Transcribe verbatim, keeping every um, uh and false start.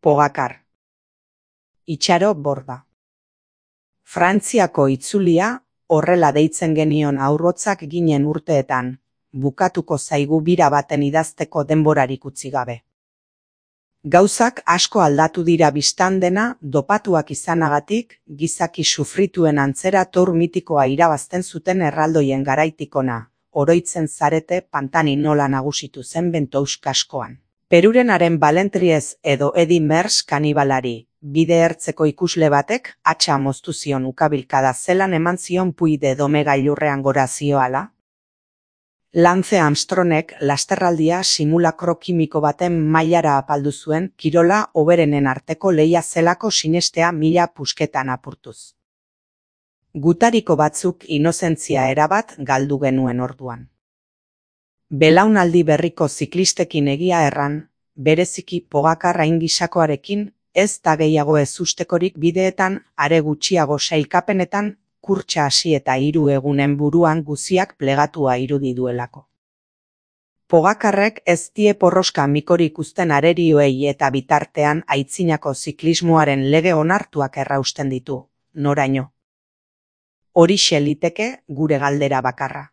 Pogacar. Itxaro Borda. Frantziako itzulia, horrela deitzen genion haurrotzak ginen urteetan, bukatuko zaigu bira baten idazteko denborarik utzi gabe. Gauzak asko aldatu dira bistan dena, dopatuak izanagatik, gizaki sufrituen antzera tour mitikoa irabazten zuten erraldoien garaitikona, oroitzen zarete Pantani nola nagusitu zen Bentous kaskoan. Perurenaren Balentriez edo Edi Mers kanibalari, bide ertzeko ikusle batek, atxa moztu zion ukabilkada zelan eman zion Puy de Dome gailurrean gora zioala. Lance Armstrongek lasterraldia simulakro kimiko baten mailara apaldu zuen kirola hoberenen arteko lehia zelako sinestea mila pusketan apurtuz. Gutariko batzuk inozentzia erabat galdu genuen orduan. Belaunaldi berriko ziklistekin egia erran, bereziki Pogacar aingisakoarekin, ez da gehiago ezustekorik bideetan, are gutxiago sailkapenetan, kurtsa hasi eta hiru egunen buruan guziak plegatua irudi duelako. Pogacarrek ez die porroska mikorik uzten arerioei eta bitartean aitzinako ziklismoaren lege onartuak errausten ditu, noraino. Horixe liteke gure galdera bakarra.